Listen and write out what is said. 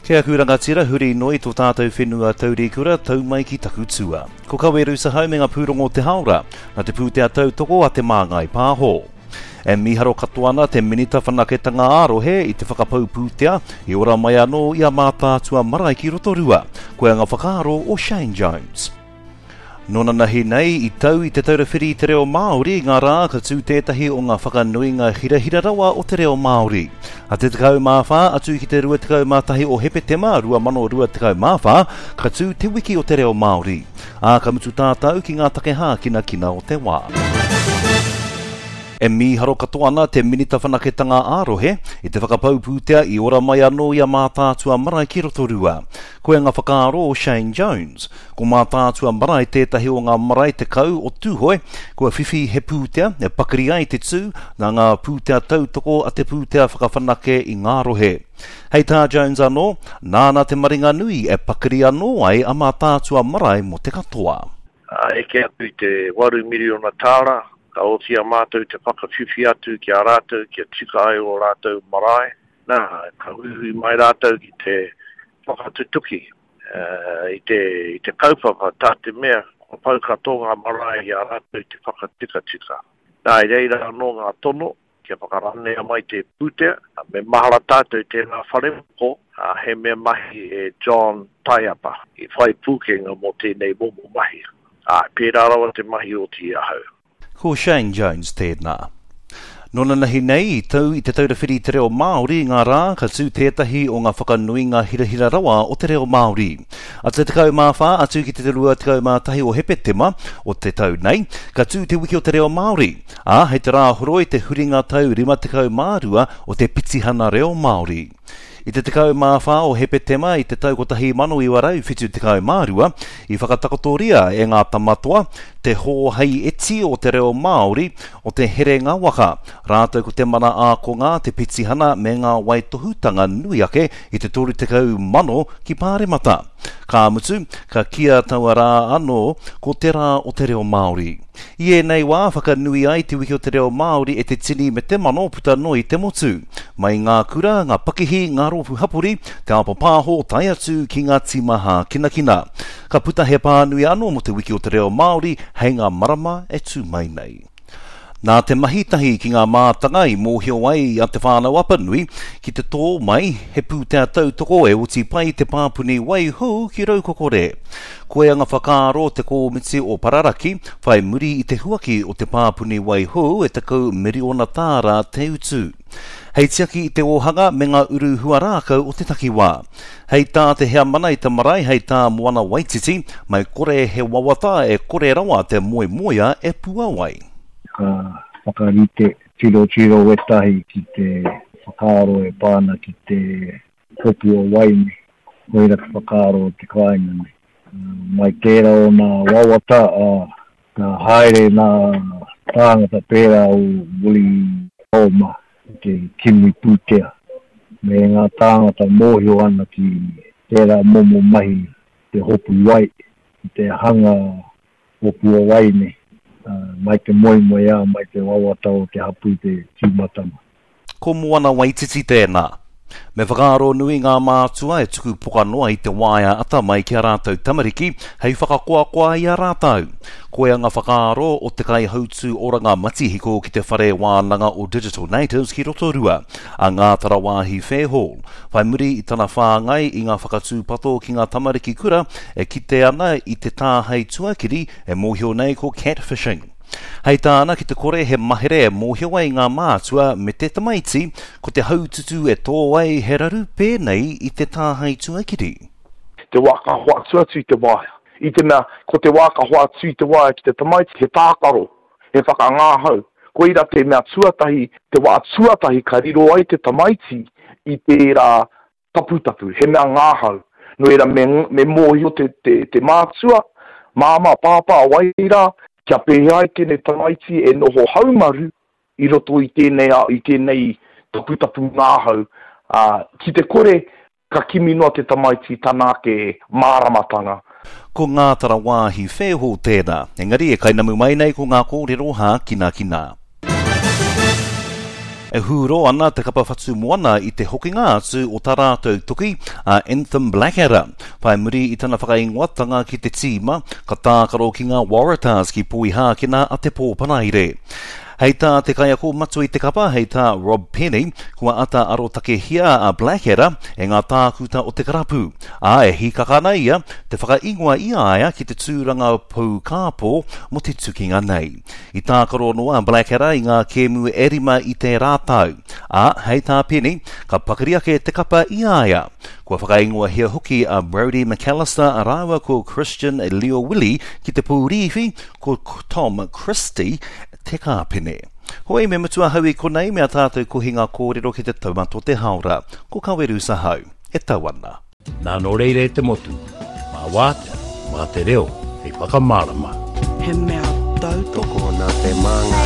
Kei aku rangatira, huri noa i tō tātou whenua taurikura, tau mai ki taku tua. Ko Kawe Rusahau me ngā pūrongo o te haora, nā te pūtea tautoko a Te Māngai Pāho. E mīharo katoa ana te Minita Whanaketanga ā-Rohe i te whakapau pūtea i ora mai anō i a Mātaatua marae ki Rotorua. Koia ngā whakaaro o Shane Jones. Nō nanahi nei, i tau i Te Taura Whiri i te Reo Māori ngā rā ka tū tētahi o ngā whakanuinga hirahira rawa o te reo Māori. A te 14 atu ki te 21 o Hepetema 2024, ka tū Te Wiki o te Reo Māori. Ā, ka mutu tātou ki ngā take hākinakina o te wā. E mīharo katoa ana te Minita Whanaketanga ā-Rohe i te whakapau pūtea i ora mai anō i a Mātaatua Marae ki Rotorua. Koia ngā whakaaro o Shane Jones. Ko Mātaatua Marae tētahi o ngā marae 10 o Tūhoe kua whiwhi he pūtea e pakari ai te tū nā ngā pūtea tautoko a Te Pūtea Whakawhanake i ngā Rohe. Hei tā Jones anō, nāna te maringa nui e pakari anō ai a Mātaatua Marae mō te katoa. Ā, eke atu i te waru miriona tāra, ka oti i a mātou te whakawhiwhi atu ki a rātou kia tika ai ō rātou marae. Nā, ka huihui mai rātou ki te whakatutuki i te, i te kaupapa, tā te mea, kua pau katoa ngā marae i a rātou te whakatikatika. Nā, i reira anō ngā tono kia whakaranea mai te pūtea, me mahara tātou tērā wharemoko, he mea mahi e John Taiapa, i whai pūkenga mō tēnei momo mahi. Āe, pērā rawa te mahi oti i ahau. Ko Shane Jones tēnā. Nō nanahi nei, i tau i Te Taura Whiri i te Reo Māori ngā rā ka tū tētahi o ngā whakanuinga hirahira rawa o te reo Māori. A te 14 atu ki te 21 o Hepetema o te tau nei, ka tū te Wiki o te Reo Māori, ā, hei te Rāhoroi te huringa tau 52 o te Pitihana Reo Māori. I te 14 o Hepetema i te tau 1972, i whakatakotoria e ngā tamatoa te hōhaieti o te reo Māori o te herenga waka, rātou ko te mana ākonga, te petihana me ngā waitohutanga nui ake i te 30,000 ki Pāremata. Ka mutu, ka kīa taua rā anō ko Te Rā o te Reo Māori. I ēnei wā, whakanui ai Te Wiki o te Reo Māori e te tini me te mano puta noa i te motu. Mai i ngā kura, ngā pakihi, ngā rōpū hapori, te ao papāho tae atu ki ngā tīma hākinakina. Ka puta he pānui anō mō Te Wiki o te Reo Māori hei ngā marama e tū mai nei. Nā te mahi tahi ki ngā mātanga i mōhio ai a Te Whānau-a-Apanui ki te tō mai he pūtea tautoko e oti pai te pāpuni wai hou ki Raukokore. Koia ngā whakaaro o te kōmiti o Pararaki whai muri i te huaki o te pāpuni wai hou e 10 miriona tāra te utu. Hei tiaki i te ōhanga me ngā uru huarākau o te takiwā. Hei tā te heamana i te marae, hei tā Moana Waititi, mai kore he wawata e kore rawa te moemoea e puawai. Ka whakarite tirotiro wetahi ki te whakaaro e pā ana ki te hopu o waeine. Koira te whakaaro o te kāinga nei. Mai tērā o nā wawata, ā, ka haere nā tāngata pērā o Willie Palmer ki te kimi pūtea me ngā tāngata mōhio ana ki tērā momo mahi te hopu wai, ki te hanga hopu o waeine, mai te moemoeā, mai te wawata o te hapū te tīmatanga. Ko Moana Waititi tēnā. Me whakaaro nui ngā mātua e tuku poka noa i te waea atamai ki a rātou tamariki hei whakakoakoa i a rātou. Koia ngā whakaaro o te kaihautū oranga matihiko ki te Whare Wānanga o Digital Natives ki Rotorua, a Ngātarawāhi Fairhall, whai muri i tana whāngai i ngā whakatūpato ki ngā tamariki kura e kite ana i te tāhae tuakiri e mōhio nei ko catfishing. Hei tāna, ki te kore he mahere e mōhio ai ngā mātua me te tamaiti, ko te haututu e tō ai he raru pēnei i te tāhae tuakiri. Te wā ka hoatu atu i te waea. I te mea, ko te wā ka hoatu i te waea ki te tamaiti, he tākaro, he whakangāhau. Koira te mea tuatahi, te wā tuatahi ka riro ai te tamaiti i tērā taputapu, he mea ngāhau. Nō reira, me, me mōhio te, te, te mātua, māmā, pāpā, wai rā, kia pēhea ai tēnei tamaiti e noho haumaru i roto i tēnei, i tēnei taputapu ngāhau, ā, ki te kore, ka kimi noa te tamaiti i tana ake māramatanga. Ko Ngātarawāhi Whēho tēnā, engari e kainamu mai nei ko ngā kōrero hākinakina. E hūro ana te kapa Whatumoana i te hokinga atu o tā rātou toki, a Anthem Blackadder. Whai muri i tana whakaingoatanga ki te tīma, ka tākaro ki ngā Waratahs ki Poihākena a te pō Paraire. Hei tā te kaiako matua i te kapa, hei tā Rob Penney, kua ata arotakehia a Blackadder e ngā tākuta o te karapu, ā, e hīkaka ana ia te whakaingoa i a ia ki te tūranga pou kāpō mō te tukinga nei. I tākaro noa a Blackadder i ngā kēmu e rima i tērā tau, ā, hei tā Penny, ka pakari ake te kapa i a ia. Kua whakaingoahia hoki a Brodie McAlister rāua ko Christian Lio-Willie ki te pūrīwhi, ko Tom Christie te kāpene. Hoi, me mutu ahau i konei me a tātou kohinga kōrero ki te taumata o te hāora. Ko Kawerusa hau, e tau ana. Nā nō reira e te motu, mā Wātea, mā te reo hei whakamārama. He mea tautoko. Tokona te māngai.